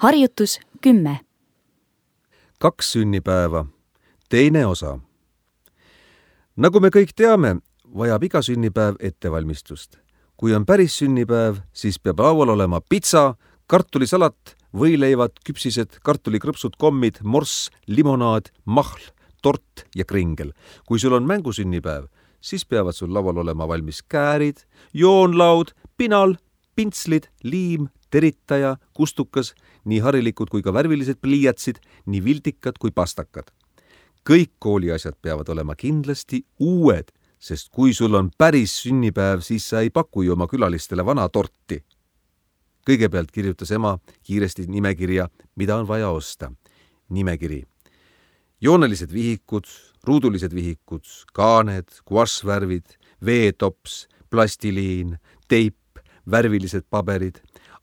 Harjutus 10. 2 sünnipäeva. Teine osa. Nagu me kõik teame, vajab iga sünnipäev ettevalmistust. Kui on päris sünnipäev, siis peab laual olema pitsa, kartulisalat, võileivad, küpsised, kartulikrõpsud, kommid, morss, limonaad, mahl, tort ja kringel. Kui sul on mängusünnipäev, siis peavad sul laual olema valmis käärid, joonlaud, pinal, pintslid, liim, teritaja, kustukas, nii harilikud kui ka värvilised pliiatsid, nii viltikad kui pastakad. Kõik kooliasjad peavad olema kindlasti uued, sest kui sul on päris sünnipäev, siis sa ei paku ju oma külalistele vana torti. Kõigepealt kirjutas ema kiiresti nimekirja, mida on vaja osta. Nimekiri. Joonelised vihikud, ruudulised vihikud, kaaned, guašvärvid, veetops, plastiliin, teip, värvilised paberid,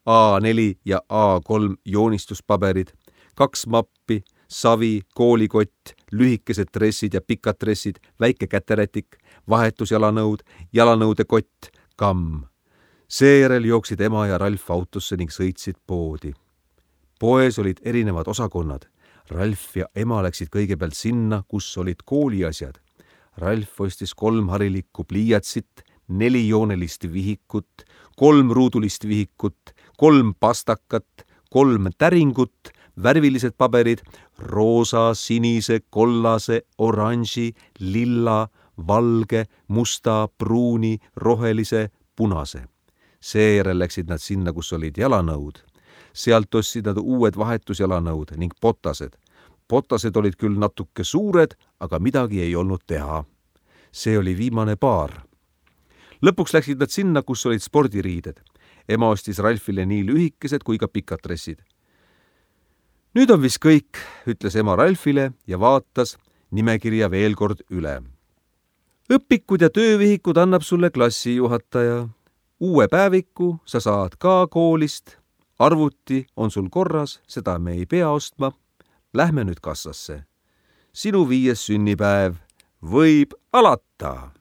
A4 ja A3 joonistuspaberid, 2 mappi, savi, koolikott, lühikesed dressid ja pikad dressid, väike käterätik, vahetusjalanõud, jalanõude kott, kamm. Seejärel jooksid ema ja Ralf autosse ning sõitsid poodi. Poes olid erinevad osakonnad. Ralf ja ema läksid kõigepealt sinna, kus olid kooliasjad. Ralf ostis 3 harilikku pliiatsit, 4 joonelist vihikut, 3 ruudulist vihikut, 3 pastakat, 3 täringut, värvilised paberid, roosa, sinise, kollase, oranži, lilla, valge, musta, pruuni, rohelise, punase. Seejärel läksid nad sinna, kus olid jalanõud. Sealt ostsid nad uued vahetusjalanõud ning potased. Potased olid küll natuke suured, aga midagi ei olnud teha. See oli viimane paar. Lõpuks läksid nad sinna, kus olid spordiriided. Ema ostis Ralfile nii lühikesed kui ka pikad dressid. Nüüd on vist kõik, ütles ema Ralfile ja vaatas nimekirja veel kord üle. Õpikud ja töövihikud annab sulle klassijuhataja. Uue päeviku sa saad ka koolist. Arvuti on sul korras, seda me ei pea ostma. Lähme nüüd kassasse. Sinu 5. sünnipäev võib alata.